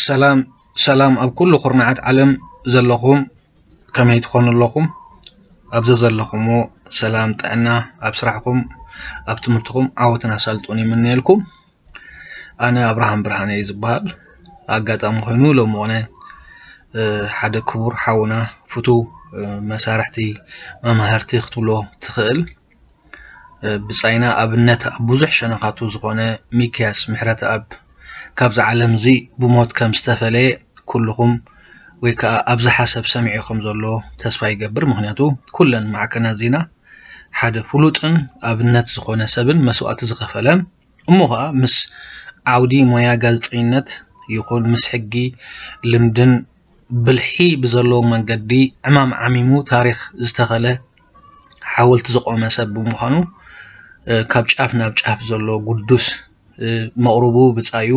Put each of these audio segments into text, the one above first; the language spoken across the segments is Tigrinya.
ሰላም ሰላም ኣብ ኩሉ ኩርናዓት ዓለም ዘለኹም ከመይ ትኾኑ ኣለኹም? ኣብ ዘዘለኹምዎ ሰላም ጥዕና ኣብ ስራሕኩም ኣብ ትምህርትኹም ዓወትን ኣሳልጦን ይምነየልኩም። ኣነ ኣብርሃም ብርሃነ እየ ዝበሃል። ኣጋጣሚ ኮይኑ ሎሚ ኾነ ሓደ ክቡር ሓውና ፍቱው መሳርሕቲ መማህርቲ ክትብሎ ትኽእል ብጻይና ኣብነት ኣብ ብዙሕ ሸነኻቱ ዝኾነ ሚክያስ ምሕረተኣብ ካብዚ ዓለም እዚ ብሞት ከም ዝተፈለየ ኩልኹም ወይ ከዓ ኣብዚ ሓሰብ ሰሚዑ ከም ዘሎ ተስፋ ይገብር። ምክንያቱ ኩለን ማዕከናት ዜና ሓደ ፍሉጥን ኣብነት ዝኾነ ሰብን መስዋእቲ ዝኸፈለ እሞ ከዓ ምስ ዓውዲ ሞያ ጋዜጠኝነት ይኹን ምስ ሕጊ ልምድን ብልሒ ብዘለዎ መንገዲ ዕማም ዓሚሙ ታሪኽ ዝተኸለ ሓወልቲ ዝቆመ ሰብ ብምዃኑ ካብ ጫፍ ናብ ጫፍ ዘሎ ግዱስ መቕርቡ ብጻዩ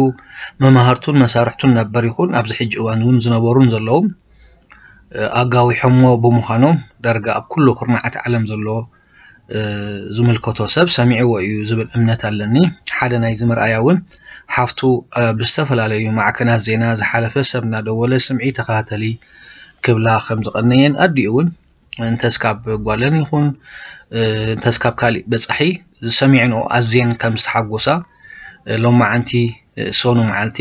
መማህርቱን መሳርሕቱን ነበር ይኹን ኣብዚ ሕጂ እዋን እውን ዝነበሩን ዘለውን ኣጋዊሖሞ ብምዃኖም ዳርጋ ኣብ ኩሉ ኩርናዓት ዓለም ዘሎ ዝምልከቶ ሰብ ሰሚዕዎ እዩ ዝብል እምነት ኣለኒ። ሓደ ናይዚ መርኣያ እውን ሓፍቱ ብዝተፈላለዩ ማዕከናት ዜና ዝሓለፈ ሰብ እናደወለ ስምዒ ተኸታተሊ ክብላ ከም ዝቐነየን ኣዲኡ እውን እንተስ ካብ ጓለን ይኹን እንተስ ካብ ካሊእ በጻሒ ዝሰሚዕንኦ ኣዝየን ከም ዝተሓጎሳ ሎማዓንቲ ሰኑ መዓልቲ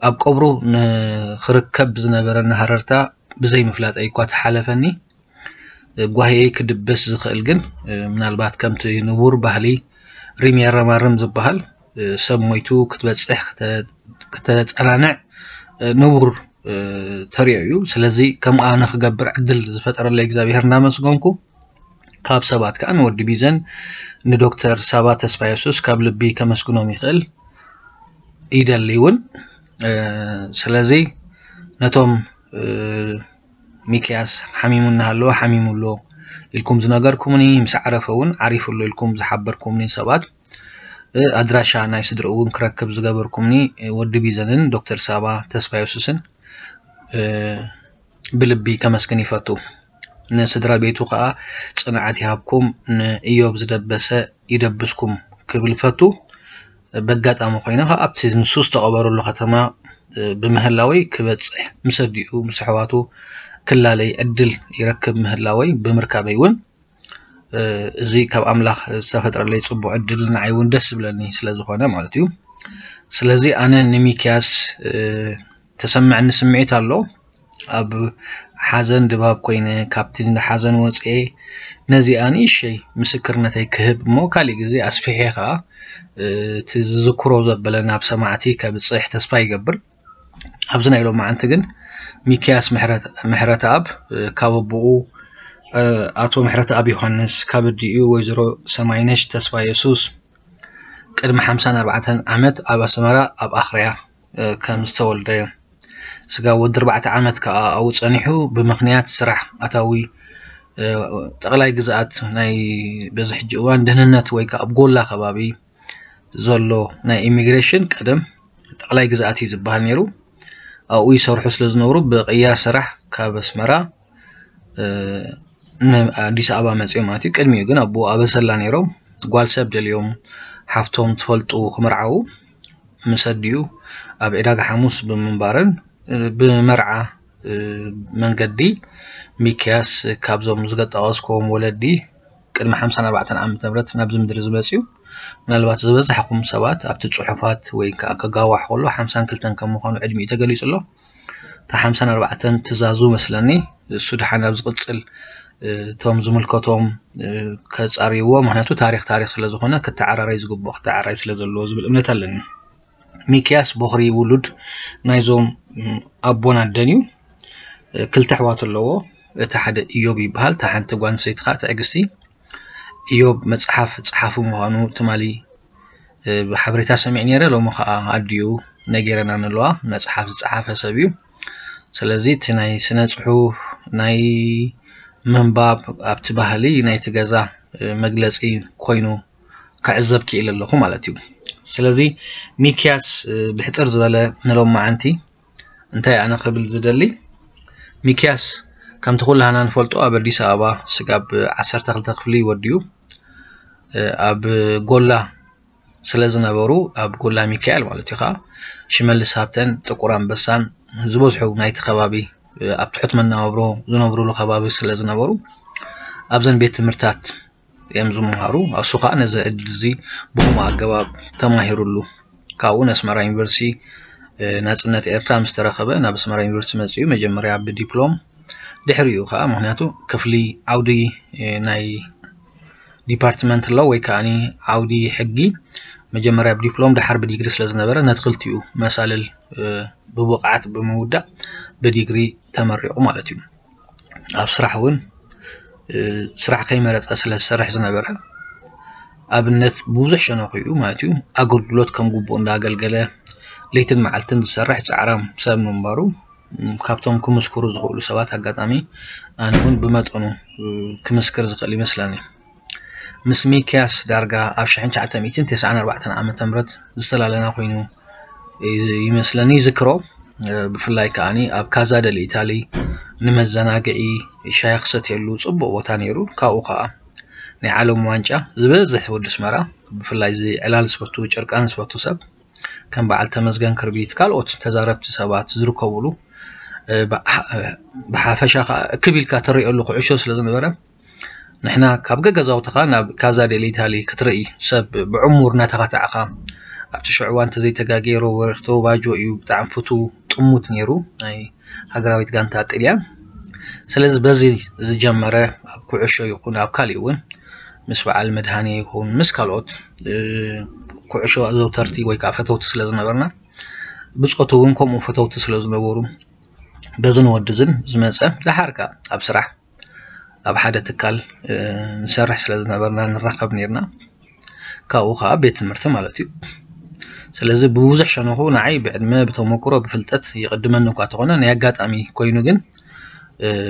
ኣብ ቀብሩ ንክርከብ ዝነበረኒ ሃረርታ ብዘይ ምፍላጠይ እኳ ተሓለፈኒ። ጓሂየይ ክድብስ ዝኽእል ግን ምናልባት ከምቲ ንቡር ባህሊ ሪም የረማርም ዝበሃል ሰብ ሞይቱ ክትበጽሕ ክተ- ክተጸናንዕ ንቡር ተሪኦ እዩ። ስለዚ ከምኡ ኣነ ክገብር ዕድል ዝፈጠረለይ እግዚኣብሔር እናመስገንኩ ካብ ሰባት ከዓ ንወዲ ቢዘን ንዶክተር ሳባ ተስፋ የሱስ ካብ ልቢ ከመስግኖም ይኽእል ይደሊ እውን። ስለዚ ነቶም ሚክያስ ሓሚሙ እናሃለወ ሓሚሙ ኣሎ ኢልኩም ዝነገርኩምኒ ምስ ዓረፈ እውን ዓሪፉ ኣሎ ኢልኩም ዝሓበርኩምኒ ሰባት ኣድራሻ ናይ ስድርኡ እውን ክረክብ ዝገበርኩምኒ ወዲ ቢዘንን ዶክተር ሳባ ተስፋ የሱስን ብልቢ ከመስግን ይፈቱ። ንስድራ ቤቱ ከዓ ጽንዓት ይሃብኩም፣ ንእዮብ ዝደበሰ ይደብስኩም ክብል ይፈቱ። በጋጣሚ ኮይነ ከዓ ኣብቲ ንሱ ዝተቐበረሉ ከተማ ብምህላወይ ክበጽሕ ምስ ኣዲኡ ምስ ኣሕዋቱ ክላለይ ዕድል ይረክብ ምህላወይ ብምርካበይ እውን እዚ ካብ ኣምላኽ ዝተፈጥረለይ ጽቡቕ ዕድል ንዓይ እውን ደስ ዝብለኒ ስለ ዝኾነ ማለት እዩ። ስለዚ ኣነ ንሚክያስ ተሰምዐኒ ስምዒት ኣሎ። ኣብ ሓዘን ድባብ ኮይነ ካብቲ ሓዘን ወፅኤ ነዚኣ ንእሸይ ምስክርነተይ ክህብ እሞ ካሊእ ግዜ ኣስፊሐ ከዓ እቲ ዝዝክሮ ዘበለ ናብ ሰማዕቲ ከብፅሕ ተስፋ ይገብር። ኣብዚ ናይ ሎማዓንቲ ግን ሚክያስ ምሕረተኣብ ካብ ኣቦኡ ኣቶ ምሕረተኣብ ዮሃንስ ካብ ኣዲኡ ወይዘሮ ሰማይነሽ ተስፋ የሱስ ቅድሚ ሓምሳን ኣርባዕተን ዓመት ኣብ ኣስመራ ኣብ ኣኽርያ ከም ዝተወልደ ስጋብ ወዲ ኣርባዕተ ዓመት ከዓ ኣብኡ ፀኒሑ ብምኽንያት ስራሕ ኣታዊ ጠቕላይ ግዝኣት ናይ በዚ ሕጂ እዋን ደህንነት ወይ ከዓ ኣብ ጎላ ከባቢ ዘሎ ናይ ኢሚግሬሽን ቀደም ጠቕላይ ግዝኣት እዩ ዝበሃል ነይሩ። ኣብኡ ይሰርሑ ስለ ዝነብሩ ብቕያ ስራሕ ካብ ኣስመራ ንኣዲስ ኣበባ መፅኦም ማለት እዩ። ቅድሚኡ ግን ኣቦኡ ኣብ ኣሰላ ነይሮም። ጓል ሰብ ደልዮም ሓፍቶም ትፈልጡ ክምርዓዉ ምስ ኣዲኡ ኣብ ዕዳጋ ሓሙስ ብምንባርን ብመርዓ መንገዲ ሚክያስ ካብዞም ዝገጠቐስክዎም ወለዲ ቅድሚ ሓምሳን ኣርባዕተን ዓመተ ምህረት ናብዚ ምድሪ ዝመፅኡ ምናልባት ዝበዛሕኩም ሰባት ኣብቲ ፅሑፋት ወይ ከዓ ከጋዋሕ ከሎ ሓምሳን ክልተን ከም ምዃኑ ዕድሚኡ ተገሊፁ ኣሎ። እታ ሓምሳን ኣርባዕተን ትእዛዙ መስለኒ እሱ ድሓን ኣብ ዝቕፅል እቶም ዝምልከቶም ከፃርይዎ ምክንያቱ ታሪክ ታሪክ ስለ ዝኾነ ክተዓራረይ ዝግብኦ ክተዓራይ ስለ ዘለዎ ዝብል እምነት ኣለኒ። ሚክያስ ቦኽሪ ውሉድ ናይዞም ኣቦን ኣደን እዩ። ክልተ ኣሕዋት ኣለዎ። እቲ ሓደ እዮብ ይበሃል፣ እታ ሓንቲ ጓል ኣንስተይቲ ከዓ ትዕግስቲ። እዮብ መፅሓፍ ፀሓፊ ምዃኑ ትማሊ ብሓበሬታ ሰሚዕ ነይረ። ሎሚ ከዓ ኣዲኡ ነጊረና ንለዋ። መፅሓፍ ዝፀሓፈ ሰብ እዩ። ስለዚ እቲ ናይ ስነ ፅሑፍ ናይ ምንባብ ኣብቲ ባህሊ ናይቲ ገዛ መግለፂ ኮይኑ ክዕዘብ ክኢለ ኣለኹ ማለት እዩ። ስለዚ ሚክያስ ብሕፅር ዝበለ ንሎማዓንቲ እንታይ ኣነ ክብል ዝደሊ ሚክያስ ከምቲ ኩላህና ንፈልጦ ኣብ ኣዲስ ኣበባ ስጋብ ዓሰርተ ክልተ ክፍሊ ወዲኡ ኣብ ጎላ ስለ ዝነበሩ ኣብ ጎላ ሚካኤል ማለት እዩ ከዓ ሽመልስ ሃብተን ጥቁር ኣንበሳን ዝበዝሑ ናይቲ ከባቢ ኣብ ትሑት መነባብሮ ዝነብሩሉ ከባቢ ስለ ዝነበሩ ኣብዘን ቤት ትምህርትታት እዮም ዝመሃሩ። እሱ ከዓ ነዚ ዕድል እዚ ብኹምኡ ኣገባብ ተማሂሩሉ። ካብኡ ነስመራ ዩኒቨርሲቲ ናፅነት ኤርትራ ምስ ተረኸበ ናብ ኣስመራ ዩኒቨርሲቲ መፂኡ መጀመርያ ብዲፕሎም ድሕሪኡ ከዓ ምክንያቱ ክፍሊ ዓውዲ ናይ ዲፓርትመንት ሎ ወይ ከዓ ዓውዲ ሕጊ መጀመርያ ብዲፕሎም ድሓር ብዲግሪ ስለ ዝነበረ ነቲ ክልቲኡ መሳልል ብብቕዓት ብምውዳእ ብዲግሪ ተመሪቑ ማለት እዩ። ኣብ ስራሕ እውን ስራሕ ከይመረፀ ስለ ዝሰርሕ ዝነበረ ኣብነት ብብዙሕ ሸነኹ እዩ ማለት እዩ ኣገልግሎት ከም ግቡእ እንዳኣገልገለ ለይትን መዓልትን ዝሰርሕ ፃዕራም ሰብ ምንባሩ ካብቶም ክምስክሩ ዝኽእሉ ሰባት ኣጋጣሚ ኣነ እውን ብመጠኑ ክምስክር ዝኽእል ይመስለኒ። ምስ ሚክያስ ዳርጋ ኣብ ሽሕን ትሽዓተ ሚእትን ተስዓን ኣርባዕተን ዓመተ ምህረት ዝተላለና ኮይኑ ይመስለኒ ይዝክሮ። ብፍላይ ከዓኒ ኣብ ካዛ ደል ኢታሊ ንመዘናግዒ ሻሂ ክሰትየሉ ጽቡቕ ቦታ ነይሩ። ካብኡ ከኣ ናይ ዓለም ዋንጫ ዝበዝሕ ወዲ ኣስመራ ብፍላይ እዚ ዕላል ዝፈቱ ጭርቃን ዝፈቱ ሰብ ከም በዓል ተመስገን ክርቢት ካልኦት ተዛረብቲ ሰባት ዝርከብሉ ብሓፈሻ ከኣ እክብ ኢልካ ትርእየሉ ኩዕሾ ስለ ዝነበረ ንሕና ካብ ገገዛውትኻ ናብ ካዛ ዴል ኢታሊ ክትርኢ ሰብ ብዕሙር እናተኻታዕኻ ኣብቲ ሽዑ እዋን እንተዘይተጋግየ ሮበርቶ ባጆ እዩ ብጣዕሚ ፍቱው ጥሙት ነይሩ ናይ ሃገራዊት ጋንታ ጥልያን። ስለዚ በዚ ዝጀመረ ኣብ ኩዕሾ ይኹን ኣብ ካሊእ እውን ምስ በዓል መድሃኔ ይኹን ምስ ካልኦት ኩዕሾ ኣዘውተርቲ ወይ ከዓ ፈተውቲ ስለ ዝነበርና ብፆቱ እውን ከምኡ ፈተውቲ ስለ ዝነበሩ በዝን ወድዝን ዝመፀ ደሓር ከዓ ኣብ ስራሕ ኣብ ሓደ ትካል ንሰርሕ ስለ ዝነበርና ንራኸብ ነርና። ካብኡ ከዓ ቤት ትምህርቲ ማለት እዩ። ስለዚ ብብዙሕ ሸነኹ ንዓይ ብዕድመ ብተመክሮ ብፍልጠት ይቕድመኒ እኳ ተኾነ ናይ ኣጋጣሚ ኮይኑ ግን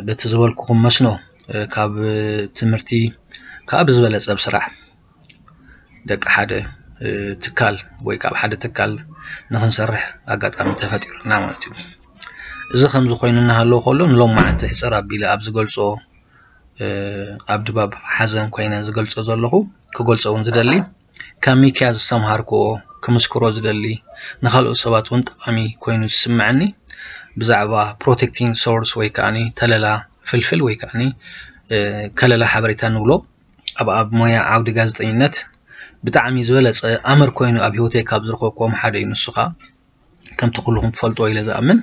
በቲ ዝበልኩኹም መስኖ ካብ ትምህርቲ ከዓ ብዝበለፀ ብስራሕ ደቂ ሓደ ትካል ወይ ከዓ ሓደ ትካል ንክንሰርሕ ኣጋጣሚ ተፈጢሩና ማለት እዩ። እዚ ከምዚ ኮይኑ እናሃለዎ ከሎ ንሎም መዓልቲ ሕፅር ኣቢለ ኣብ ዝገልፆ ኣብ ድባብ ሓዘን ኮይነ ዝገልፆ ዘለኹ ክገልፆ እውን ዝደሊ ካብ ሚክያ ዝተምሃርክዎ ክምስክሮ ዝደሊ ንካልኦት ሰባት እውን ጠቃሚ ኮይኑ ዝስምዐኒ ብዛዕባ ፕሮቴክቲንግ ሶርስ ወይ ከዓ ተለላ ፍልፍል ወይ ከዓ ከለላ ሓበሬታ ንብሎ ኣብ ኣብ ሞያ ዓውዲ ጋዜጠኝነት ብጣዕሚ ዝበለፀ ኣምር ኮይኑ ኣብ ህይወተይ ካብ ዝረኸብክዎም ሓደ እዩ። ንሱ ከዓ ከምቲ ኩልኹም ትፈልጥዎ ኢለ ዝኣምን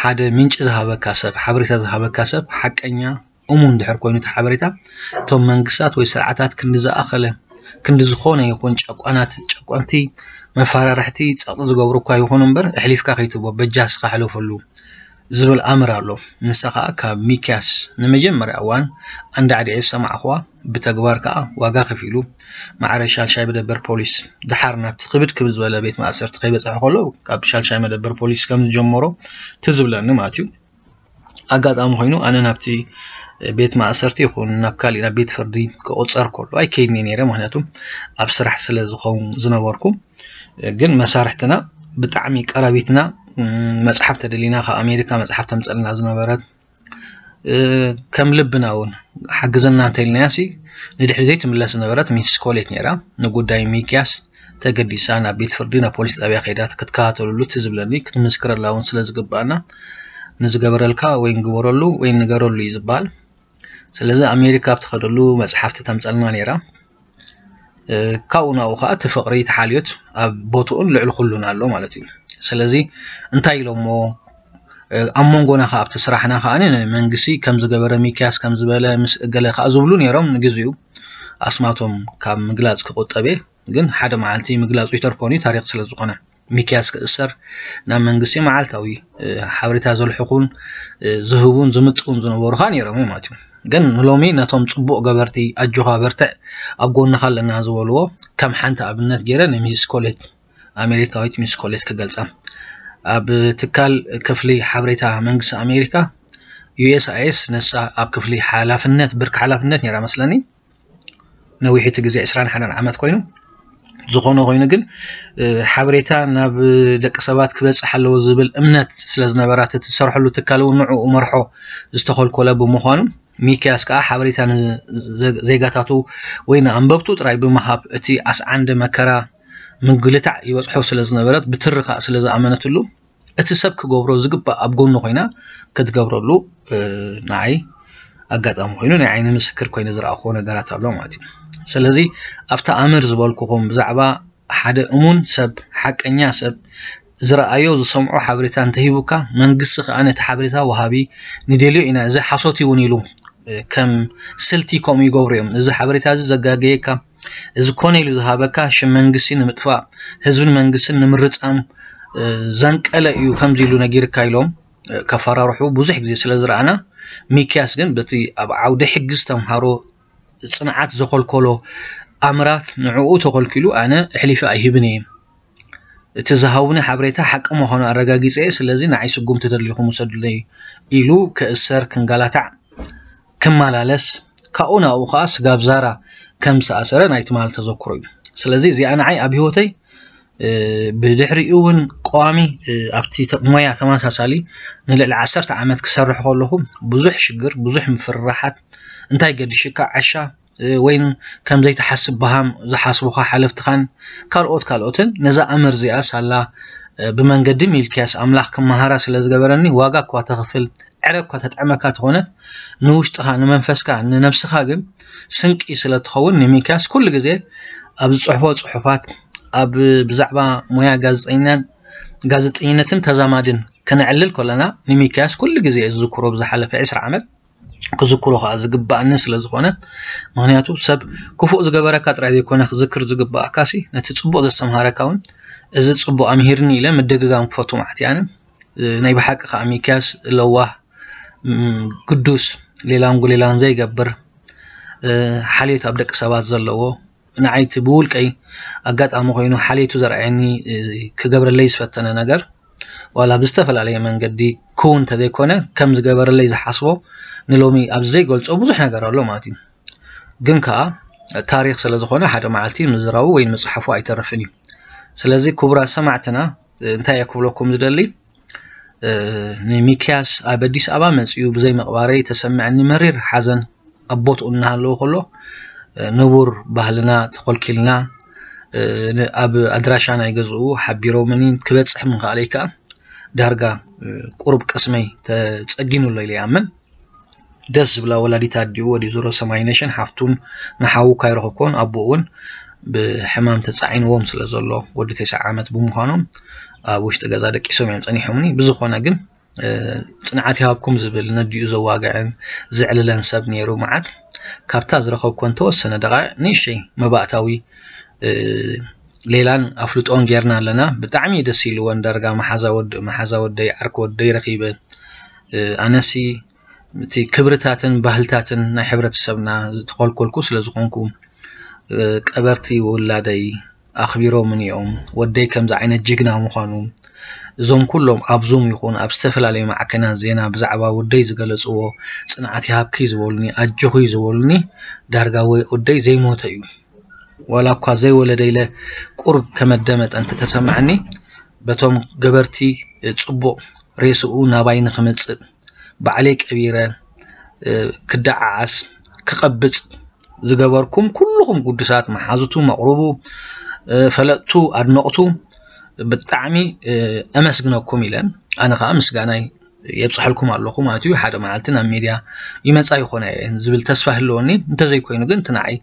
ሓደ ምንጪ ዝሃበካ ሰብ ሓበሬታ ዝሃበካ ሰብ ሓቀኛ እሙን ድሕር ኮይኑ እቲ ሓበሬታ እቶም መንግስታት ወይ ስርዓታት ክንዲ ዝኣኸለ ክንዲ ዝኾነ ይኹን ጨቋናት ጨቆንቲ መፈራርሕቲ ጸቕጢ ዝገብሩ እኳ ይኹኑ እምበር ኣሕሊፍካ ከይትህቦ በጃ እስኻ ሕለፈሉ ዝብል ኣምር ኣሎ። ንሳ ኸኣ ካብ ሚክያስ ንመጀመርያ እዋን ኣንዳዕዲዐ ዝሰማዕኽዋ ብተግባር ከኣ ዋጋ ከፊሉ ማዕረ ሻልሻይ መደበር ፖሊስ ደሓር ናብቲ ክብድ ክብል ዝበለ ቤት ማእሰርቲ ከይበጽሐ ከሎ ካብ ሻልሻይ መደበር ፖሊስ ከም ዝጀመሮ ትዝ ዝብለኒ ማለት እዩ። ኣጋጣሚ ኮይኑ ኣነ ናብቲ ቤት ማእሰርቲ ይኹን ናብ ካሊእ ናብ ቤት ፍርዲ ክቑጸር ከሎ ኣይከይድን እየ ነይረ። ምኽንያቱ ኣብ ስራሕ ስለ ዝኸውን ዝነበርኩ ግን መሳርሕትና ብጣዕሚ ቀረቢትና መፅሓፍ ተደሊና ካብ ኣሜሪካ መፅሓፍ ተምፀልና ዝነበረት ከም ልብና እውን ሓግዘና እንተኢልናያ ሲ ንድሕሪ ዘይትምለስ ዝነበረት ሚስ ኮሌት ነይራ። ንጉዳይ ሚክያስ ተገዲሳ ናብ ቤት ፍርዲ ናብ ፖሊስ ጣብያ ከይዳ ክትከታተለሉ እቲ ዝብለኒ ክትምስክረላ እውን ስለ ዝግባኣና ንዝገበረልካ ወይ ንግበረሉ ወይ ንገረሉ እዩ ዝበሃል። ስለዚ ኣሜሪካ ኣብ ትኸደሉ መፅሓፍቲ ተምፀልና ነይራ። ካብኡ ናብኡ ከዓ እቲ ፍቕሪ እቲ ሓልዮት ኣብ ቦትኡን ልዕሊ ኩሉን ኣሎ ማለት እዩ። ስለዚ እንታይ ኢሎሞ ኣብ መንጎና ከዓ ኣብቲ ስራሕና ከዓ መንግስቲ ከም ዝገበረ ሚክያስ ከም ዝበለ ምስ እገለ ከዓ ዝብሉ ነይሮም ንግዚኡ ኣስማቶም ካብ ምግላፅ ክቁጠብ እየ። ግን ሓደ መዓልቲ ምግላፁ ይተርፎን እዩ ታሪክ ስለ ዝኾነ ሚክያስ ክእሰር ናብ መንግስቲ መዓልታዊ ሓበሬታ ዘልሕኹን ዝህቡን ዝምጥውን ዝነበሩ ከዓ ነይሮም እዮም ማለት እዩ። ግን ንሎሚ ነቶም ፅቡቕ ገበርቲ ኣጆኻ በርትዕ ኣብ ጎንኻ ኣለና ዝበልዎ ከም ሓንቲ ኣብነት ገይረ ንሚስ ኮሌት ኣሜሪካዊት ሚስ ኮሌት ክገልፃ ኣብ ትካል ክፍሊ ሓበሬታ መንግስቲ ኣሜሪካ ዩ ኤስ ኣይ ኤስ ነሳ ኣብ ክፍሊ ሓላፍነት ብርኪ ሓላፍነት ነይራ መስለኒ ነዊሕ እቲ ግዜ ዕስራን ሓደን ዓመት ኮይኑ ዝኾነ ኮይኑ ግን ሓበሬታ ናብ ደቂ ሰባት ክበፅሕ ኣለዎ ዝብል እምነት ስለ ዝነበራት እቲ ዝሰርሐሉ ትካል እውን ንዕኡ መርሖ ዝተኸልኮለ ብምዃኑ ሚክያስ ከዓ ሓበሬታ ንዜጋታቱ ወይ ንኣንበብቱ ጥራይ ብምሃብ እቲ ኣስዓንደ መከራ ምግልታዕ ይበፅሖ ስለ ዝነበረት ብትሪ ከዓ ስለ ዝኣመነትሉ እቲ ሰብ ክገብሮ ዝግባእ ኣብ ጎኑ ኮይና ክትገብረሉ ንዓይ ኣጋጣሚ ኮይኑ ናይ ዓይኒ ምስክር ኮይኑ ዝረኣኽዎ ነገራት ኣሎ ማለት እዩ። ስለዚ ኣብቲ ኣምር ዝበልኩኹም ብዛዕባ ሓደ እሙን ሰብ፣ ሓቀኛ ሰብ ዝረኣዮ ዝሰምዖ ሓበሬታ እንተሂቡካ መንግስቲ ከዓ ነቲ ሓበሬታ ወሃቢ ንደልዮ ኢና እዚ ሓሶት እውን ኢሉ ከም ስልቲ ከምኡ ይገብሩ እዮም። እዚ ሓበሬታ እዚ ዘጋገየካ እዚ ኮነ ኢሉ ዝሃበካ ሽም መንግስቲ ንምጥፋእ ህዝብን መንግስትን ንምርፃም ዘንቀለ እዩ ከምዚ ኢሉ ነጊርካ ኢሎም ከፈራርሑ ብዙሕ ግዜ ስለ ዝረኣና፣ ሚክያስ ግን በቲ ኣብ ዓውደ ሕጊ ዝተምሃሮ ፅንዓት ዘኾልኮሎ ኣምራት ንዕኡ ተኾልኪሉ ኣነ ኣሕሊፈ ኣይህብን እየ። እቲ ዝሃቡኒ ሓበሬታ ሓቂ ምዃኑ ኣረጋጊፀ እየ። ስለዚ ንዓይ ስጉምቲ ተደሊኹም ውሰዱለይ ኢሉ ክእሰር ክንጋላታዕ ክመላለስ ካብኡ ናብኡ ከዓ ስጋብ ዛራ ከም ዝተኣሰረ ናይ ትማል ተዘክሮ እዩ። ስለዚ እዚኣ ንዓይ ኣብ ህይወተይ ብድሕሪኡ እውን ቀዋሚ ኣብቲ ሞያ ተመሳሳሊ ንልዕሊ ዓሰርተ ዓመት ክሰርሕ ከለኹ ብዙሕ ሽግር ብዙሕ ምፍርራሓት እንታይ ገዲሽካ ዓሻ ወይ ከም ዘይትሓስብ በሃም ዝሓስቡኻ ሓለፍትኻን ካልኦት ካልኦትን ነዛ ኣምር እዚኣ ሳላ ብመንገዲ ሚልክያስ ኣምላኽ ክመሃራ ስለ ዝገበረኒ ዋጋ እኳ ተኽፍል ዕረ እኳ ተጥዕመካ ተኾነት ንውሽጥኻ ንመንፈስካ ንነብስኻ ግን ስንቂ ስለ ትኸውን ንሚልክያስ ኩሉ ግዜ ኣብ ዝፅሕፎ ፅሑፋት ኣብ ብዛዕባ ሞያ ጋዜጠኛን ጋዜጠኝነትን ተዛማድን ከነዕልል ከለና ንሚልክያስ ኩሉ ግዜ ዝዝክሮ ብዝሓለፈ ዕስራ ዓመት ክዝክሮ ከዓ ዝግባኣኒ ስለ ዝኾነ ምክንያቱ ሰብ ክፉእ ዝገበረካ ጥራይ ዘይኮነ ክዝክር ዝግባኣካ ሲ ነቲ ፅቡቅ ዘስተምሃረካ እውን እዚ ፅቡቅ ኣምሂርኒ ኢለ ምድግጋም ክፈቱ ማለት እየ ኣነ ናይ ብሓቂ ከዓ ሚልክያስ ለዋህ ግዱስ ሌላን ጉሌላን ዘይገብር ሓልዮት ኣብ ደቂ ሰባት ዘለዎ ንዓይ እቲ ብውልቀይ ኣጋጣሚ ኮይኑ ሓልዮቱ ዘርኣየኒ ክገብረለይ ዝፈተነ ነገር ዋላ ብዝተፈላለየ መንገዲ ክውን እንተዘይኮነ ከም ዝገበረለይ ዝሓስቦ ንሎሚ ኣብ ዘይገልፆ ብዙሕ ነገር ኣሎ ማለት እዩ። ግን ከዓ ታሪክ ስለዝኮነ ሓደ መዓልቲ ምዝራቡ ወይ ምፅሓፉ ኣይተርፍን እዩ። ስለዚ ክቡራት ሰማዕትና እንታይ እየ ክብለኩም ዝደሊ ንሚክያስ ኣብ ኣዲስ ኣበባ መፂኡ ብዘይ ምቕባረይ ተሰምዐኒ መሪር ሓዘን ኣብ ቦትኡ እናሃለወ ከሎ ንቡር ባህልና ተኾልኪልና ኣብ ኣድራሻ ናይ ገዝኡ ሓቢሮምኒ ክበፅሕ ምኽኣለይ ከዓ ዳርጋ ቁሩብ ቅስመይ ተፀጊኑ ኣሎ ኢለ ይኣምን። ደስ ዝብላ ወላዲት ኣዲኡ ወዲ ዙሮ ሰማይነሽን ሓፍቱን ንሓዉ ካይረኸብኮን ኣቦኡ እውን ብሕማም ተፃዒንዎም ስለ ዘሎ ወዲ ተስዓ ዓመት ብምዃኖም ኣብ ውሽጢ ገዛ ደቂሶም እዮም ፀኒሖምኒ። ብዝኾነ ግን ፅንዓት ይሃብኩም ዝብል ነዲኡ ዘዋግዕን ዘዕልለን ሰብ ነይሩ መዓት ካብታ ዝረኸብኮን ተወሰነ ደቃ ንእሽተይ መባእታዊ ሌላን ኣፍልጦን ጌርና ኣለና። ብጣዕሚ ደስ ኢልወን ዳርጋ መሓዛ ወደይ ዓርኪ ወደይ ረኺበ ኣነሲ እቲ ክብርታትን ባህልታትን ናይ ሕብረተሰብና ዝተኾልኮልኩ ስለ ዝኾንኩ ቀበርቲ ውላደይ ኣኽቢሮምኒ እዮም። ወደይ ከምዚ ዓይነት ጅግና ምዃኑ እዞም ኩሎም ኣብ ዙም ይኹን ኣብ ዝተፈላለዩ ማዕከናት ዜና ብዛዕባ ወደይ ዝገለፅዎ ፅንዓት ይሃብኪ ዝበሉኒ ኣጆኺ ዝበሉኒ ዳርጋ ወደይ ዘይሞተ እዩ። ዋላ እኳ ዘይወለደ ኢለ ቁሩብ ከመደመጠ እንተተሰማዓኒ በቶም ገበርቲ ፅቡቕ ሬስኡ ናባይ ንኽመፅእ ባዕለይ ቀቢረ ክደዓዓስ ክቐብፅ ዝገበርኩም ኩልኹም ጉዱሳት መሓዙቱ መቕሩቡ ፈለጥቱ ኣድነቕቱ ብጣዕሚ ኣመስግነኩም ኢለን ኣነ ከዓ ምስጋናይ የብፅሐልኩም ኣለኹ ማለት እዩ። ሓደ መዓልቲ ናብ ሚድያ ይመፃ ይኾና እየን ዝብል ተስፋ ህልወኒ። እንተዘይኮይኑ ግን እቲ ንዓይ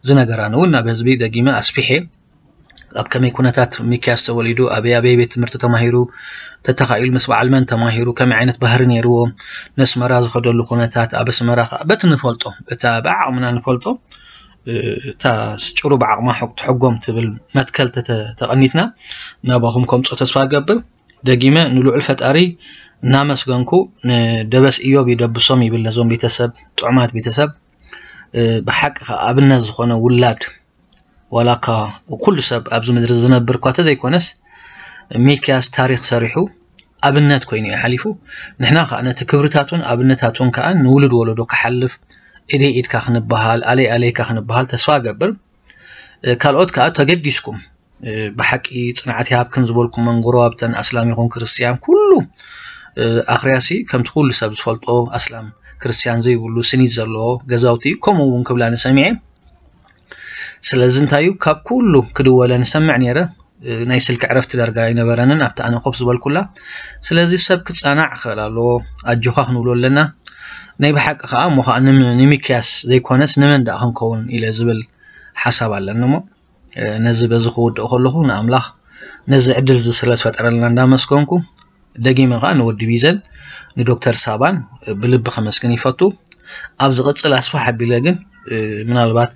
ዝነገራኒ እውን ናብ ህዝቢ ደጊመ ኣስፊሐ ኣብ ከመይ ኩነታት ሚክያስ ተወሊዱ፣ ኣበይ ኣበይ ቤት ትምህርቲ ተማሂሩ፣ ተተኻኢሉ ምስ በዓል መን ተማሂሩ፣ ከመይ ዓይነት ባህሪ ነይርዎ፣ ነስመራ ዝኸደሉ ኩነታት፣ ኣብ ኣስመራ ከዓ በቲ ንፈልጦ፣ በታ ብዓቕምና ንፈልጦ፣ እታ ጭሩ ብዓቕማ ሕግ-፣ ትሕጎም ትብል መትከል ተተ-፣ ተቐኒትና ናባኹም ከምፅኦ ተስፋ እገብር። ደጊመ ንልዑል ፈጣሪ እናመስገንኩ ንደበስ እዮብ ይደብሶም ይብል ነዞም ቤተሰብ፣ ጥዑማት ቤተሰብ፣ እ፣ ብሓቂ ከዓ ኣብነት ዝኾነ ውላድ ዋላ እኳ ኩሉ ሰብ ኣብዚ ምድሪ ዝነብር እኳ ተዘይኮነስ ሚክያስ ታሪክ ሰሪሑ ኣብነት ኮይኑ እዩ ሓሊፉ። ንሕና ከዓ ነቲ ክብርታቱን ኣብነታቱን ከዓ ንውሉድ ወለዶ ክሓልፍ ኢደይ ኢድካ ክንበሃል ኣለይ ኣለይካ ክንበሃል ተስፋ እገብር። እ፣ ካልኦት ከዓ ተገዲስኩም እ፣ ብሓቂ ፅንዓት ይሃብክን ዝበልኩመን ጎረባብተን ኣስላም ይኹን ክርስትያን ኩሉ እ፣ ኣኽርያሲ ከምቲ ኩሉ ሰብ ዝፈልጦ ኣስላም ክርስትያን ዘይብሉ ስኒት ዘለዎ ገዛውቲ ከምኡ እውን ክብላ ንሰሚዐ። ስለዚ እንታይ እዩ ካብ ኩሉ ክድወለ ንሰምዕ ነይረ። ናይ ስልኪ ዕረፍቲ ዳርጋ ኣይነበረንን ኣብቲ ኣነ ኮፍ ዝበልኩላ። ስለዚ ሰብ ክጸናዕ ክኽእል ኣለዎ፣ ኣጆኻ ክንብሎ ኣለና። ናይ ብሓቂ ከዓ እሞ ከዓ ንሚክያስ ዘይኮነስ ንመን ደኣ ክንከውን ኢለ ዝብል ሓሳብ ኣለኒ። እሞ ነዚ በዚ ክውድኦ ከለኹ ንኣምላኽ ነዚ ዕድል እዚ ስለ ዝፈጠረልና እንዳመስገንኩ፣ ደጊመ ከዓ ንወዲ ቢዘን ንዶክተር ሳባን ብልቢ ከመስግን ይፈቱ። ኣብ ዝቕጽል ኣስፋሕ ኣቢለ ግን ምናልባት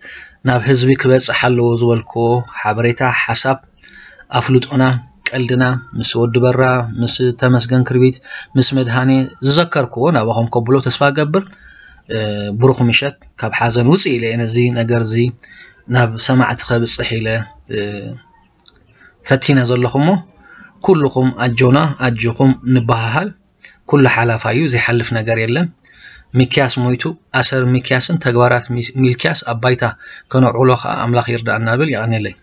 ናብ ህዝቢ ክበጽሕ ኣለዎ ዝበልክዎ ሓበሬታ፣ ሓሳብ፣ ኣፍልጦና፣ ቀልድና ምስ ወዲ በራ፣ ምስ ተመስገን ክርቢት፣ ምስ መድሃኔ ዝዘከርክዎ ናባኹም ከብሎ ተስፋ ገብር። ብሩኽ ምሸት። ካብ ሓዘን ውፅእ ኢለ እየ ነዚ ነገር እዚ ናብ ሰማዕቲ ከብፅሕ ኢለ ፈቲነ ዘለኹ እሞ፣ ኩልኹም ኣጆና ኣጆኹም ንበሃሃል። ኩሉ ሓላፋ እዩ፣ ዘይሓልፍ ነገር የለን። ሚክያስ ሞይቱ፣ ኣሰር ሚክያስን ተግባራት ሚልክያስ ኣብ ባይታ ከነውዕሎ ከዓ ኣምላኽ ይርዳእና ብል። የቐንየለይ።